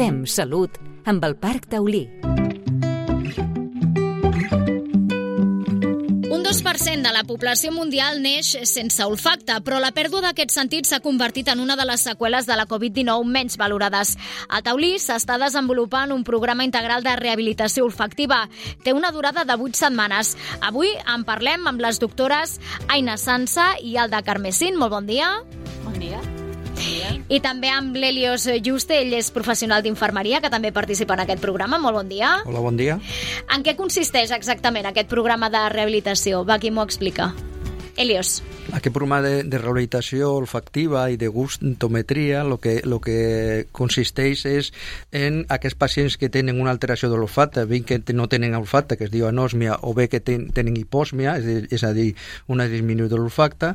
Fem salut amb el Parc Taulí. Un 2% de la població mundial neix sense olfacte, però la pèrdua d'aquest sentit s'ha convertit en una de les seqüeles de la Covid-19 menys valorades. A Taulí s'està desenvolupant un programa integral de rehabilitació olfactiva. Té una durada de 8 setmanes. Avui en parlem amb les doctores Aina Sansa i Alda Carmesín. Molt bon dia. Bon dia. I també amb l'Helios Juste, ell és professional d'infermeria, que també participa en aquest programa. Molt bon dia. Hola, bon dia. En què consisteix exactament aquest programa de rehabilitació? Va, qui m'ho explica? Helios. Aquest programa de rehabilitació olfactiva i de gustometria lo que consisteix és en aquests pacients que tenen una alteració de l'olfacte, bé que no tenen olfacte, que es diu anòsmia, o bé que tenen hipòsmia, és a dir, una disminució de l'olfacte,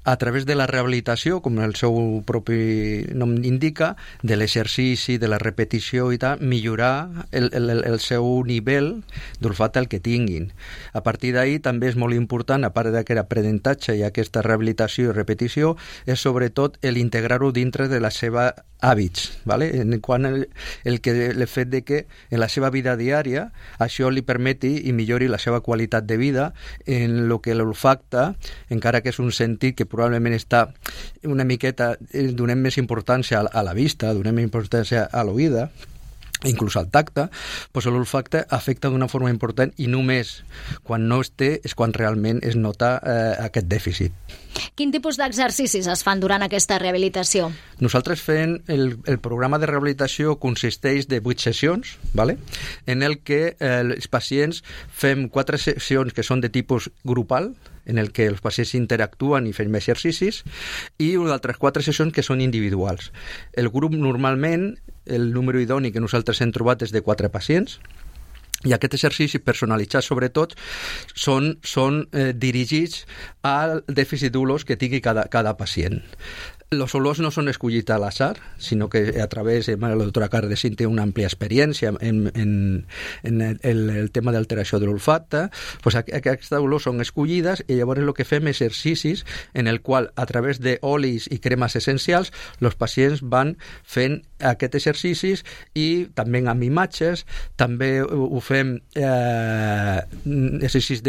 a través de la rehabilitació, com el seu propi nom indica, de l'exercici, de la repetició i tal, millorar el seu nivell d'olfacte el que tinguin. A partir d'ahí també és molt important, a part d'aquest aprenentatge i aquesta rehabilitació i repetició, és sobretot l'integrar-ho dintre de la seva hàbits, ¿vale? Quan el fet de que en la seva vida diària això li permeti i millori la seva qualitat de vida en el que l'olfacte, encara que és un sentit que probablement està una miqueta, donem més importància a la vista, donem més importància a l'oïda, inclús al tacte, doncs l'olfacte afecta d'una forma important i només quan no es té és quan realment es nota aquest dèficit. Quin tipus d'exercicis es fan durant aquesta rehabilitació? Nosaltres fem el programa de rehabilitació consisteix de 8 sessions, ¿vale? En el que els pacients fem 4 sessions que són de tipus grupal, en el que els pacients interactuen i fem exercicis, i d'altres 4 sessions que són individuals. El grup normalment, el número idoni que nosaltres hem trobat és de 4 pacients, i aquest exercici personalitzat sobretot són dirigits al dèficit d'olors que tingui cada pacient. Els olors no són escollits a l'atzar, sinó que a través de la doctora Cardesín té una àmplia experiència en el tema d'alteració de l'olfacte. Pues aquestes olors són escollides i llavors el que fem exercicis en el qual a través d'olis i cremes essencials els pacients van fent aquests exercicis i també amb imatges, també ho fem exercicis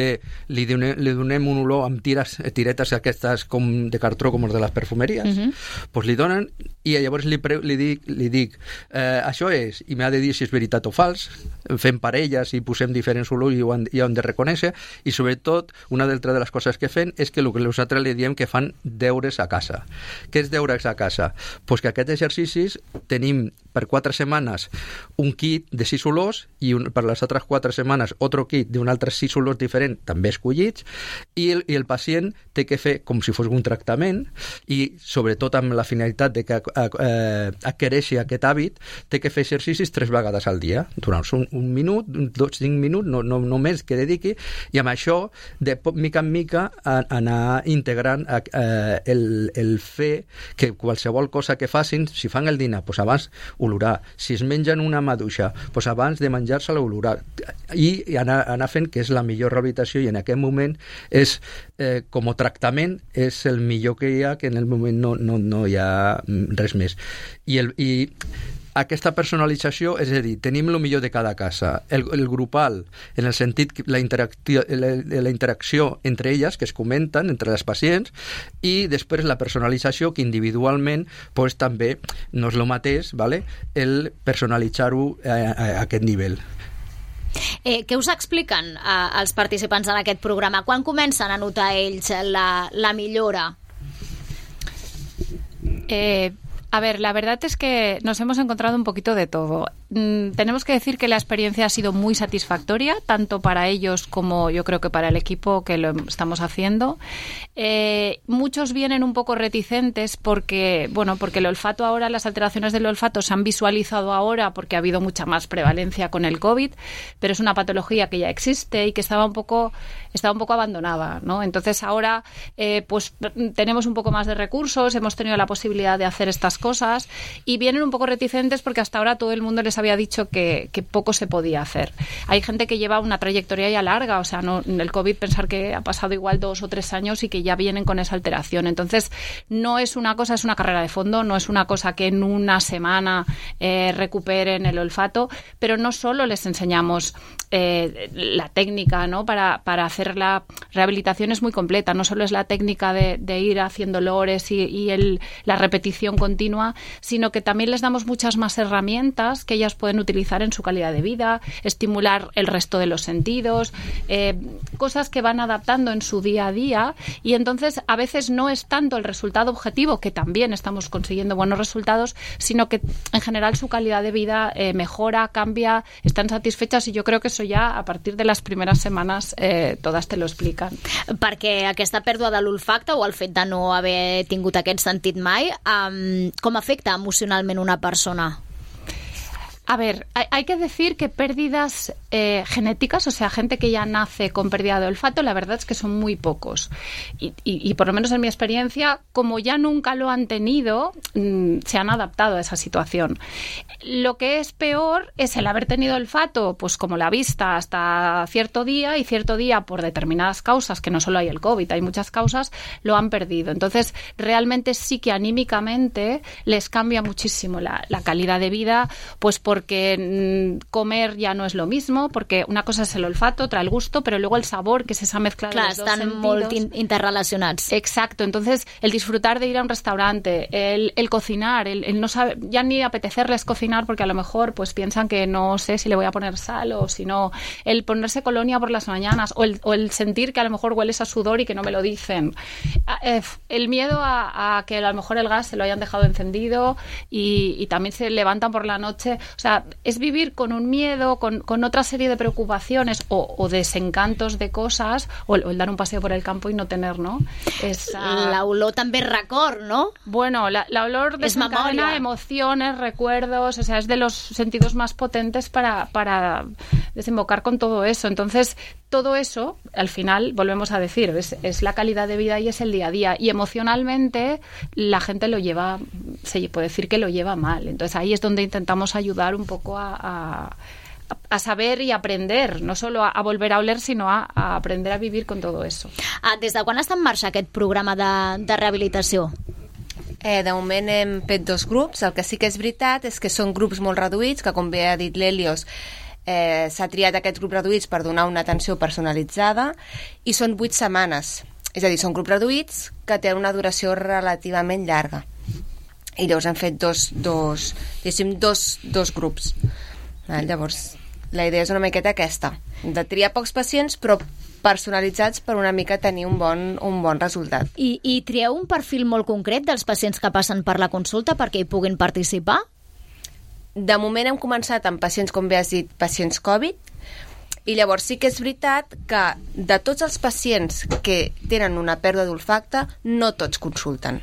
li donem un olor amb tiretes aquestes com de cartró com els de les perfumeries. Pues li donen i llavors li dic això és, i m'ha de dir si és veritat o fals, fem parelles i posem diferents olors i ho han de reconèixer, i sobretot una altra de les coses que fem és que el que nosaltres li diem que fan deures a casa. Què és deures a casa? Pues que aquests exercicis tenim per 4 setmanes un kit de 6 olors i per les altres 4 setmanes otro kit d'un altre 6 olors diferents, també escollits, i el pacient té que fer com si fos un tractament i sobretot amb la finalitat de que adquireixi aquest hàbit, té que fer exercicis 3 vegades al dia, durant un minut, 5 minuts, no més que dediqui, i amb això, de mica en mica, anar integrant el fer que qualsevol cosa que facin, si fan el dinar, doncs abans olorar, si es mengen una maduixa, doncs abans de menjar-se-la olorar, i anar fent que és la millor rehabilitació, i en aquest moment és, com a tractament, és el millor que hi ha, que en el moment no hi ha res més. I aquesta personalització, és a dir, tenim el millor de cada casa. El grupal, en el sentit que la interacció entre elles, que es comenten entre les pacients, i després la personalització, que individualment pues, també no és el mateix, ¿vale? El personalitzar-ho a aquest nivell. Què us expliquen els participants en aquest programa? Quan comencen a notar ells la millora? A ver, la verdad es que nos hemos encontrado un poquito de todo. Tenemos que decir que la experiencia ha sido muy satisfactoria, tanto para ellos como yo creo que para el equipo que lo estamos haciendo. Muchos vienen un poco reticentes porque el olfato ahora, las alteraciones del olfato se han visualizado ahora porque ha habido mucha más prevalencia con el COVID, pero es una patología que ya existe y que estaba un poco abandonada, ¿no? Entonces ahora pues tenemos un poco más de recursos, hemos tenido la posibilidad de hacer estas cosas y vienen un poco reticentes porque hasta ahora todo el mundo les había dicho que poco se podía hacer. Hay gente que lleva una trayectoria ya larga, o sea, no, el COVID, pensar que ha pasado igual 2 o 3 años y que ya vienen con esa alteración. Entonces, no es una cosa, es una carrera de fondo, no es una cosa que en una semana recuperen el olfato, pero no solo les enseñamos la técnica, ¿no? Para hacer la rehabilitación es muy completa, no solo es la técnica de ir haciendo olores y la repetición continua, sino que también les damos muchas más herramientas que ellas pueden utilizar en su calidad de vida, estimular el resto de los sentidos, cosas que van adaptando en su día a día, y entonces a veces no es tanto el resultado objetivo, que también estamos consiguiendo buenos resultados, sino que en general su calidad de vida mejora, cambia, están satisfechas, y yo creo que eso ya a partir de las primeras semanas todas te lo explican. Perquè aquesta pèrdua de l'olfacte o el fet de no haver tingut aquest sentit mai, com afecta emocionalment una persona? A ver, hay que decir que pérdidas genéticas, o sea, gente que ya nace con pérdida de olfato, la verdad es que son muy pocos. Y por lo menos en mi experiencia, como ya nunca lo han tenido, se han adaptado a esa situación. Lo que es peor es el haber tenido olfato, pues como la vista, hasta cierto día, y cierto día por determinadas causas, que no solo hay el COVID, hay muchas causas, lo han perdido. Entonces, realmente sí que anímicamente les cambia muchísimo la calidad de vida, pues porque comer ya no es lo mismo, porque una cosa es el olfato, otra el gusto, pero luego el sabor, que es esa mezcla de los dos sentidos. Estan molt interrelacionats. Exacto, entonces el disfrutar de ir a un restaurante, el cocinar, el no saber, ya ni apetecerles cocinar porque a lo mejor pues piensan que no sé si le voy a poner sal o si no, el ponerse colonia por las mañanas o el sentir que a lo mejor hueles a sudor y que no me lo dicen. El miedo a que a lo mejor el gas se lo hayan dejado encendido y también se levantan por la noche. O sea, es vivir con un miedo, con otra serie de preocupaciones o desencantos de cosas, o el dar un paseo por el campo y no tener, ¿no? La olor també és record, ¿no? Bueno, la olor desencadena emociones, recuerdos, o sea, es de los sentidos más potentes para desembocar con todo eso. Entonces, todo eso, al final, volvemos a decir, es la calidad de vida y es el día a día. Y emocionalmente la gente lo lleva, se puede decir que lo lleva mal. Entonces ahí es donde intentamos ayudar un poco a saber y aprender, no solo a volver a oler, sino a aprender a vivir con todo eso. Des de quan està en marxa aquest programa de rehabilitació? De moment hem fet 2 grups. El que sí que és veritat és que són grups molt reduïts, que com bé ha dit l'Helios, s'ha triat aquests grups reduïts per donar una atenció personalitzada, i són 8 setmanes. És a dir, són grups reduïts que tenen una duració relativament llarga. I llavors hem fet dos grups. Llavors, la idea és una miqueta aquesta, de triar pocs pacients, però personalitzats per una mica tenir un bon resultat. I trieu un perfil molt concret dels pacients que passen per la consulta perquè hi puguin participar? De moment hem començat amb pacients, com bé has dit, pacients Covid, i llavors sí que és veritat que de tots els pacients que tenen una pèrdua d'olfacte, no tots consulten.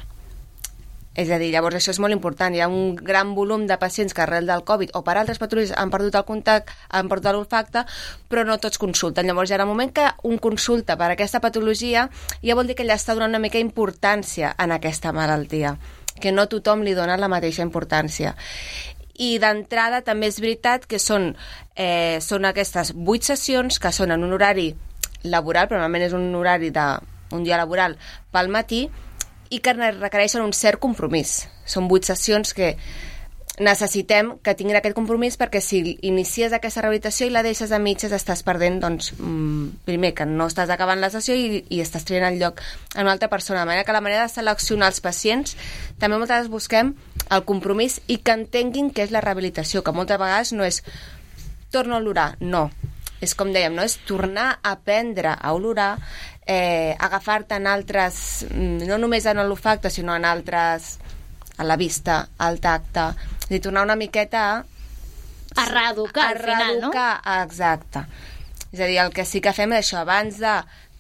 És a dir, llavors això és molt important. Hi ha un gran volum de pacients que arrel del Covid o per altres patologies han perdut el contacte, han perdut l'olfacte, però no tots consulten. Llavors, en el moment que un consulta per aquesta patologia, ja vol dir que ella està donant una mica importància en aquesta malaltia, que no tothom li dona la mateixa importància. I d'entrada també és veritat que són aquestes 8 sessions que són en un horari laboral, però normalment és un horari d'un dia laboral pel matí, i que requereixen un cert compromís. Són 8 sessions que necessitem que tinguin aquest compromís, perquè si inicies aquesta rehabilitació i la deixes a mitges estàs perdent, doncs, primer, que no estàs acabant la sessió i estàs traient el lloc a una altra persona. De manera que la manera de seleccionar els pacients també moltes vegades busquem el compromís i que entenguin què és la rehabilitació, que moltes vegades no és torno a olorar, no. És com dèiem, no? És tornar a aprendre a olorar, agafar-te en altres, no només en l'olfacte, sinó en altres, a la vista, al tacte, és a dir, tornar una miqueta a reeducar al final, no? Exacte. És a dir, el que sí que fem és això, abans de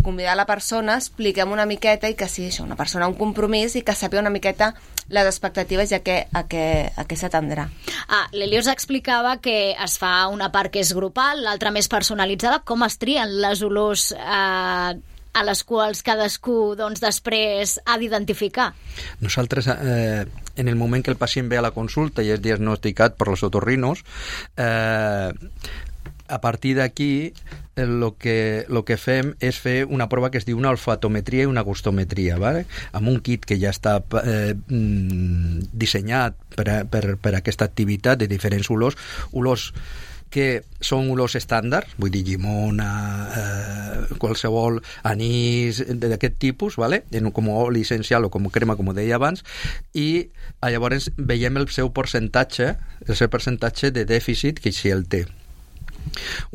convidar la persona, expliquem una miqueta i que sigui això, una persona, un compromís, i que sàpiga una miqueta les expectatives i a què s'atendrà. L'Helios explicava que es fa una part que és grupal, l'altra més personalitzada. Com es trien les olors a les quals cadascú doncs, després ha d'identificar? Nosaltres, en el moment que el pacient ve a la consulta i és diagnosticat per los otorrinos, a partir d'aquí lo que fem és fer una prova que es diu una olfatometria i una gustometria, ¿vale? Amb un kit que ja està dissenyat per aquesta activitat de diferents olors que són olors estàndards, vull dir llimona, qualsevol anís d'aquest tipus, ¿vale? Com oli essencial o com crema, com deia abans, i llavors veiem el seu percentatge de dèficit que si el té.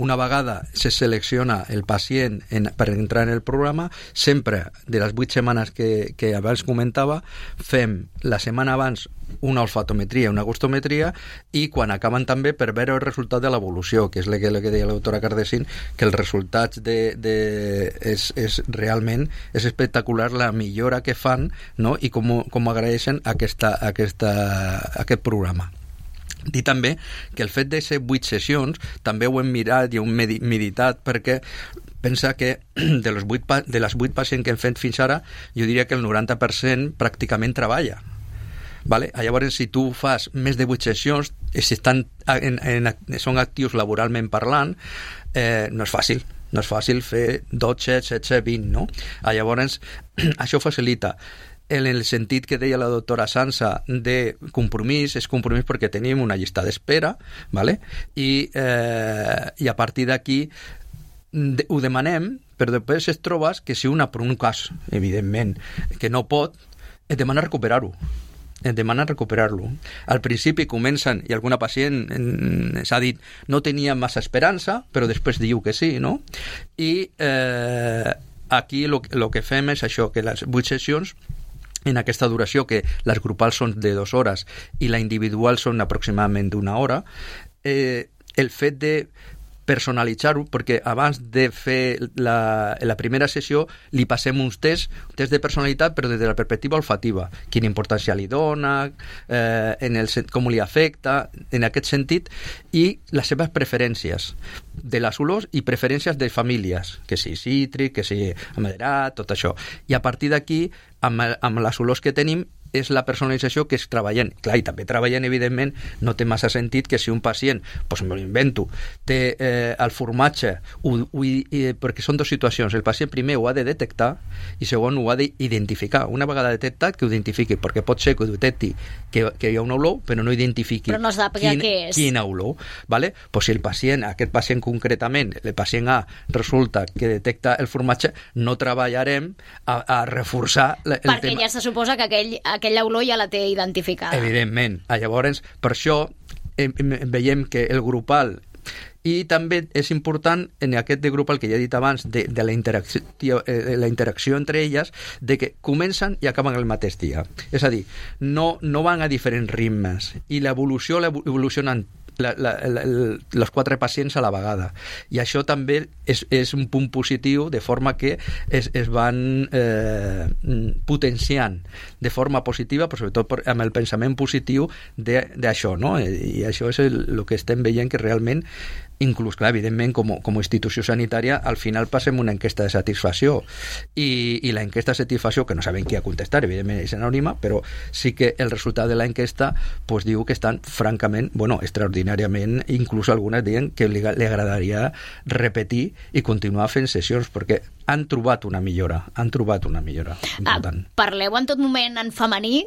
Una vegada se selecciona el pacient per entrar en el programa, sempre de les 8 setmanes que abans comentava, fem la setmana abans una olfatometria, una gustometria, i quan acaben també per veure el resultat de l'evolució, que és el que deia la doctora Cardesín, que els resultats realment és espectacular la millora que fan, no? I com agraeixen aquest programa. Dir també que el fet de ser 8 sessions també ho hem mirat i ho hem meditat, perquè pensa que de les 8 pacients que hem fet fins ara, jo diria que el 90% pràcticament treballa. Vale? Llavors, si tu fas més de 8 sessions, si són actius laboralment parlant, no és fàcil. No és fàcil fer 12, 16, 20, no? Llavors, això facilita. En el sentit que deia la doctora Sansa de compromís, és compromís perquè tenim una llista d'espera, ¿vale? I a partir d'aquí ho demanem, però després es trobes que si una, per un cas, evidentment, que no pot, et demana recuperar-ho. Al principi comencen, i alguna pacient s'ha dit no tenia massa esperança, però després diu que sí, no? I aquí el que fem és això, que les 8 sessions en aquesta duració, que les grupals són de 2 hores i la individual són aproximadament d'1 hora, el fet de personalitzar-ho, perquè abans de fer la primera sessió li passem uns tests de personalitat, però des de la perspectiva olfativa, quina importància li dona, com li afecta, en aquest sentit, i les seves preferències de les olors i preferències de famílies, que si cítric, que si amaderat, tot això. I a partir d'aquí, amb les olors que tenim, és la personalització que es treballen. Clar, i també treballen, evidentment, no té massa sentit que si un pacient, doncs me l'invento, té el formatge, perquè són 2 situacions. El pacient primer ho ha de detectar i segon ho ha d'identificar. Una vegada detectat, que ho identifiqui, perquè pot ser que ho detecti que hi ha una olor, però no identifiqui però no sàpiga què és. Quina olor. ¿Vale? Pues si aquest pacient concretament, el pacient A, resulta que detecta el formatge, no treballarem a reforçar el tema. Perquè ja se suposa que aquella olor ja la té identificada. Evidentment. Llavors, per això veiem que el grupal, i també és important en aquest de grupal que ja he dit abans de la interacció entre elles, de que comencen i acaben el mateix dia. És a dir, no van a diferents ritmes i l'evolució evolucionen els 4 pacients a la vegada, i això també és un punt positiu, de forma que es van potenciant de forma positiva, però sobretot amb el pensament positiu d'això, no? I això és el que estem veient, que realment, inclús, clar, evidentment, com a institució sanitària, al final passem una enquesta de satisfacció, i la enquesta de satisfacció, que no sabem qui ha contestat, evidentment és anònima, però sí que el resultat de la enquesta pues, diu que estan francament, extraordinàriament, inclús algunes diuen que li agradaria repetir i continuar fent sessions, perquè han trobat una millora important. Parleu en tot moment en femení?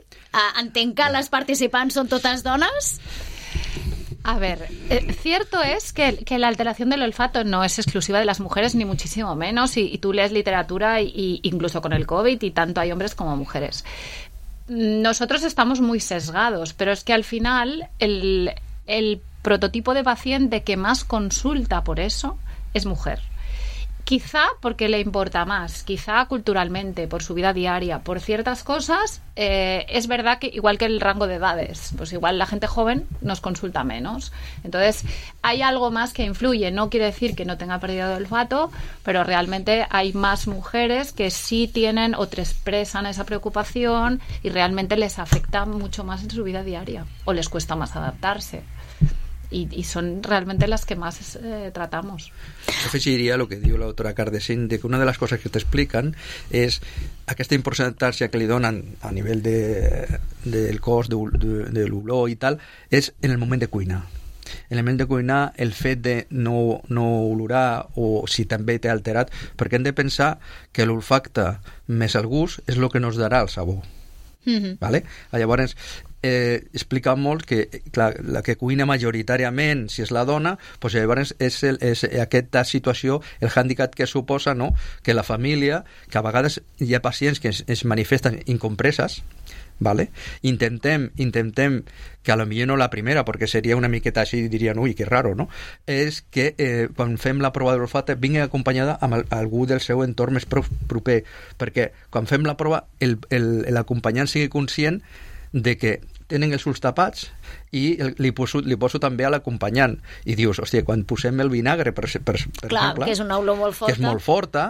Entenc que les participants són totes dones? A ver, cierto es que la alteración del olfato no es exclusiva de las mujeres, ni muchísimo menos, y tú lees literatura y incluso con el COVID, y tanto hay hombres como mujeres. Nosotros estamos muy sesgados, pero es que al final el prototipo de paciente que más consulta por eso es mujer. Quizá porque le importa más, quizá culturalmente, por su vida diaria, por ciertas cosas. Es verdad que igual que el rango de edades, pues igual la gente joven nos consulta menos. Entonces hay algo más que influye. No quiere decir que no tenga pérdida de olfato, pero realmente hay más mujeres que sí tienen o te expresan esa preocupación y realmente les afecta mucho más en su vida diaria o les cuesta más adaptarse. y son realmente las que más tratamos. Jo afegiria el que diu la doctora Cardesín, de que una de les coses que t'expliquen és aquesta importància que li donen a nivell del cos, de l'olor i tal, és en el moment de cuinar. En el moment de cuinar, el fet de no olorar, o si també t'ha alterat, perquè hem de pensar que l'olfacte més el gust és el que nos darà el sabor. ¿Vale? Llavors, explica molt que, clar, la que cuina majoritàriament, si és la dona, pues llavors és aquesta situació, el hàndicap que suposa, no?, que la família, que a vegades hi ha pacients que es manifesten incompreses, ¿vale? Intentem que a lo millor no la primera, perquè seria una miqueta així, dirien, ui, que raro, no? És que quan fem la prova de l'olfacte vingui acompanyada amb algú del seu entorn més proper, perquè quan fem la prova l'acompanyant sigui conscient de que tenen els ulls tapats i li poso també a l'acompanyant i dius, hòstia, quan posem el vinagre per clar, exemple, que és una olor molt forta, que és molt forta,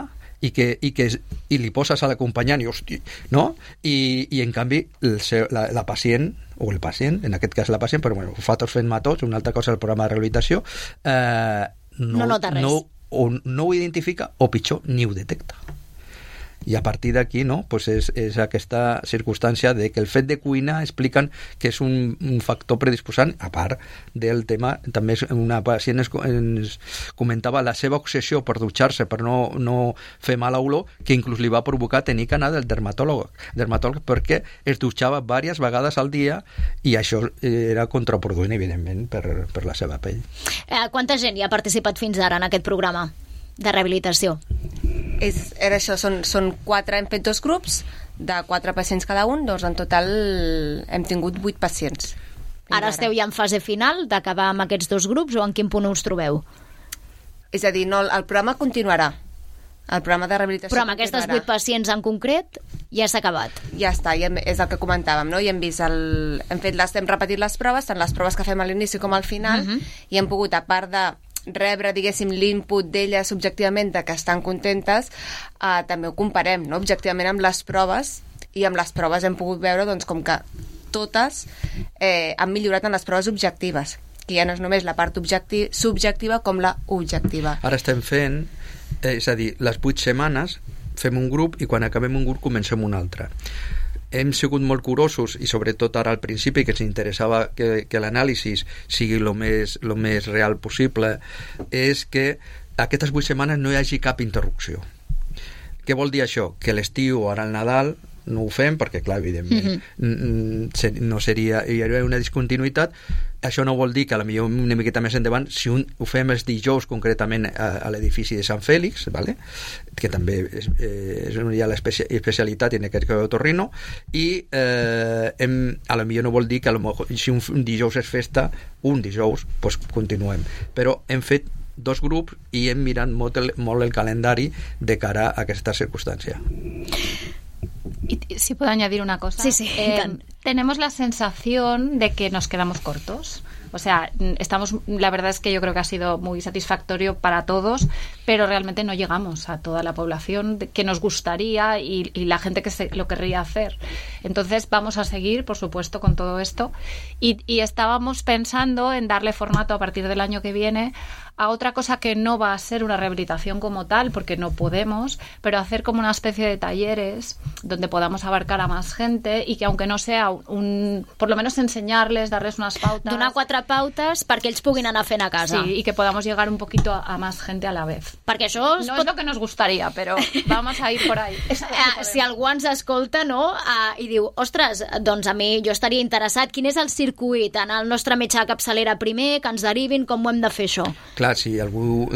i li poses a l'acompanyant i, hosti, no? I en canvi la pacient, o el pacient, en aquest cas la pacient, però bueno, nosaltres fem tots, una altra cosa del programa de rehabilitació, no nota res. No ho identifica, o pitjor, ni ho detecta. I a partir d'aquí, no?, pues és aquesta circumstància de que el fet de cuinar expliquen que és un factor predisposant, a part del tema, també una pacient ens comentava la seva obsessió per dutxar-se, per no fer mala olor, que inclús li va provocar tenir que anar del dermatòleg perquè es dutxava diverses vegades al dia i això era contraproduent, evidentment, per la seva pell. Quanta gent hi ha participat fins ara en aquest programa de rehabilitació? Era això, són 4, hem fet 2 grups de 4 pacients cada un, doncs en total hem tingut 8 pacients. Ara esteu ja en fase final d'acabar amb aquests 2 grups, o en quin punt us trobeu? És a dir, no, el programa continuarà. El programa de rehabilitació però amb aquestes 8 pacients en concret ja s'ha acabat. Ja està, és el que comentàvem, no? I hem vist hem repetit les proves, tant les proves que fem a l'inici com al final, i hem pogut, a part de rebre, diguéssim, l'input d'elles subjectivament de que estan contentes, també ho comparem, no?, objectivament amb les proves, i amb les proves hem pogut veure, doncs, com que totes han millorat en les proves objectives, que ja no és només la part subjectiva com la objectiva. Ara estem fent, és a dir, les 8 setmanes fem un grup i quan acabem un grup comencem un altre. Hem sigut molt curosos, i sobretot ara al principi, que ens interessava que l'anàlisi sigui el més real possible, és que aquestes 8 setmanes no hi hagi cap interrupció. Què vol dir això? Que l'estiu o ara al Nadal no ho fem, perquè clar, evidentment no seria, hi hauria una discontinuïtat. Això no vol dir que potser una miqueta més endavant, si ho fem els dijous concretament a l'edifici de Sant Fèlix, ¿vale?, que també és ja l'especialitat en aquest cas d'otorrino, i potser no vol dir que si un dijous és festa, un dijous pues continuem, però hem fet 2 grups i hem mirat molt el calendari de cara a aquesta circunstància. Y si puedo añadir una cosa. Sí, tenemos la sensación de que nos quedamos cortos. O sea, la verdad es que yo creo que ha sido muy satisfactorio para todos, pero realmente no llegamos a toda la población que nos gustaría y la gente que lo querría hacer. Entonces vamos a seguir, por supuesto, con todo esto, y estábamos pensando en darle formato a partir del año que viene a otra cosa que no va a ser una rehabilitación como tal, porque no podemos, pero hacer como una especie de talleres donde podamos abarcar a más gente y que aunque no sea por lo menos enseñarles, darles unas pautas. Donar 4 pautes perquè ells puguin anar fent a casa. Sí, y que podamos llegar un poquito a más gente a la vez. Perquè això no es lo que nos gustaría, pero vamos a ir por ahí. Si algú ens escolta, no?, i diu, ostres, doncs a mi jo estaria interessat, quin és el circuit? Anar al nostre metge de capçalera primer, que ens derivin, com ho hem de fer això? Clar, si algú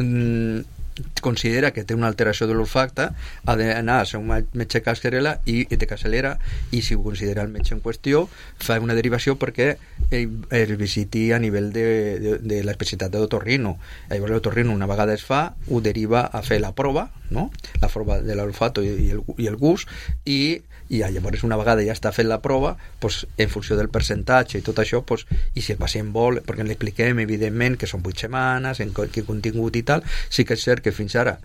considera que té una alteració de l'olfacte, ha d'anar a ser un metge de capçalera, i si ho considera el metge en qüestió, fa una derivació perquè es visiti a nivell de l'especialitat d'otorrino. Llavors l'otorrino, una vegada es fa, ho deriva a fer la prova, no?, la prova de l'olfato i el gust, i llavors una vegada ja està fent la prova, pues, en funció del percentatge i tot això, pues, i si el pacient vol, perquè l'expliquem evidentment que són 8 setmanes, en quin contingut i tal, sí que és cert que fins ara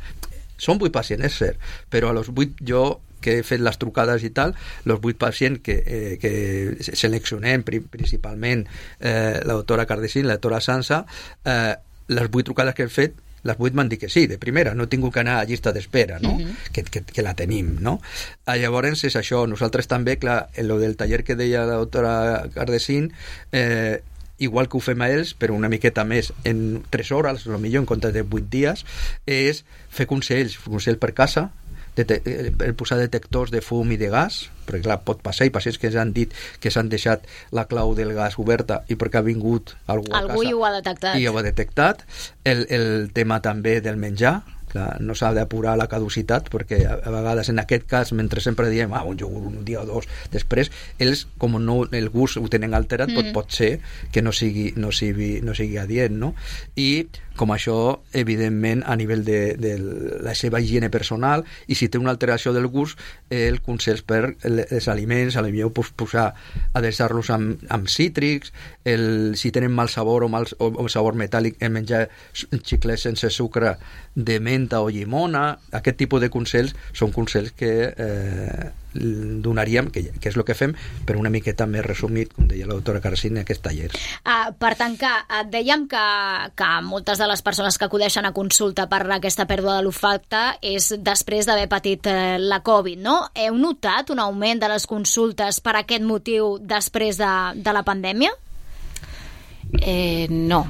Són 8 pacients, és cert, però a los 8 jo que he fet les trucades i tal, els 8 pacients que seleccionem principalment la doctora Cardesín, la doctora Sansa, les 8 trucades que hem fet, les 8 m'han dit que sí, de primera, no he tingut que anar a llista d'espera, no? Que la tenim, no? Llavors és això, nosaltres també, clar, en lo del taller que deia la doctora Cardesín, igual que ho fem a ells, però una miqueta més en 3 hores, potser en comptes de 8 dies, és fer consell per casa, posar detectors de fum i de gas, perquè clar, pot passar, i pacients que ens han dit que s'han deixat la clau del gas oberta i perquè ha vingut algú a casa i ho ha detectat. I ho ha detectat. El tema també del menjar, clar, no s'ha d'apurar la caducitat, perquè a vegades en aquest cas, mentre sempre diem un iogurt un dia o dos després, ells, com no, el gust ho tenen alterat, pot ser que no sigui adient, no? I com això, evidentment, a nivell de la seva higiene personal, i si té una alteració del gust, el consell per els aliments, potser posar, adreçar-los amb cítrics, si tenen mal sabor o sabor metàl·lic, menjar xiclets sense sucre de menta o llimona. Aquest tipus de consells són consells que donaríem, que és el que fem, però una miqueta més resumit, com deia la doctora Cardesín, en aquest taller. Per tancar, dèiem que moltes de les persones que acudeixen a consulta per aquesta pèrdua de l'olfacte és després d'haver patit la Covid, no? Heu notat un augment de les consultes per aquest motiu després de la pandèmia? No.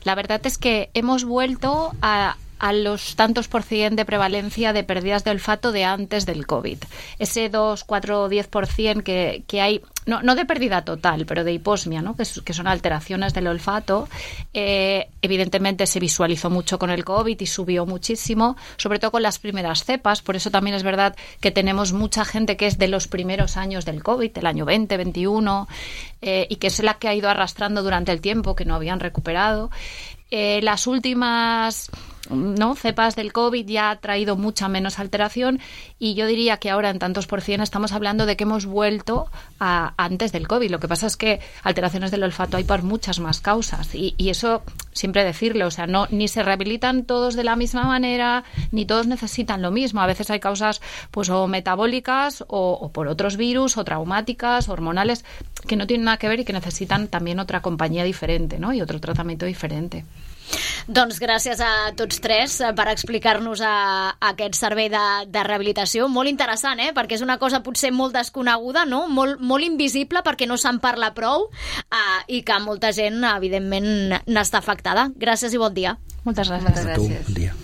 La verdad es que hemos vuelto a los tantos % de prevalencia de pérdidas de olfato de antes del COVID. Ese 2, 4, 10% que hay, no de pérdida total, pero de hiposmia, ¿no? que son alteraciones del olfato, evidentemente se visualizó mucho con el COVID y subió muchísimo, sobre todo con las primeras cepas. Por eso también es verdad que tenemos mucha gente que es de los primeros años del COVID, del año 20, 21, y que es la que ha ido arrastrando durante el tiempo, que no habían recuperado. Las últimas cepas del COVID ya ha traído mucha menos alteración, y yo diría que ahora en tantos % estamos hablando de que hemos vuelto a antes del COVID. Lo que pasa es que alteraciones del olfato hay por muchas más causas, y eso siempre decirlo, o sea, ni se rehabilitan todos de la misma manera, ni todos necesitan lo mismo. A veces hay causas pues o metabólicas o por otros virus, o traumáticas, hormonales, que no tienen nada que ver y que necesitan también otra compañía diferente, ¿no? Y otro tratamiento diferente. Doncs gràcies a tots tres per explicar-nos aquest servei de rehabilitació. Molt interessant, perquè és una cosa potser molt desconeguda, no? Molt invisible, perquè no se'n parla prou, i que molta gent, evidentment, n'està afectada. Gràcies i bon dia. Moltes gràcies. A tu, bon dia.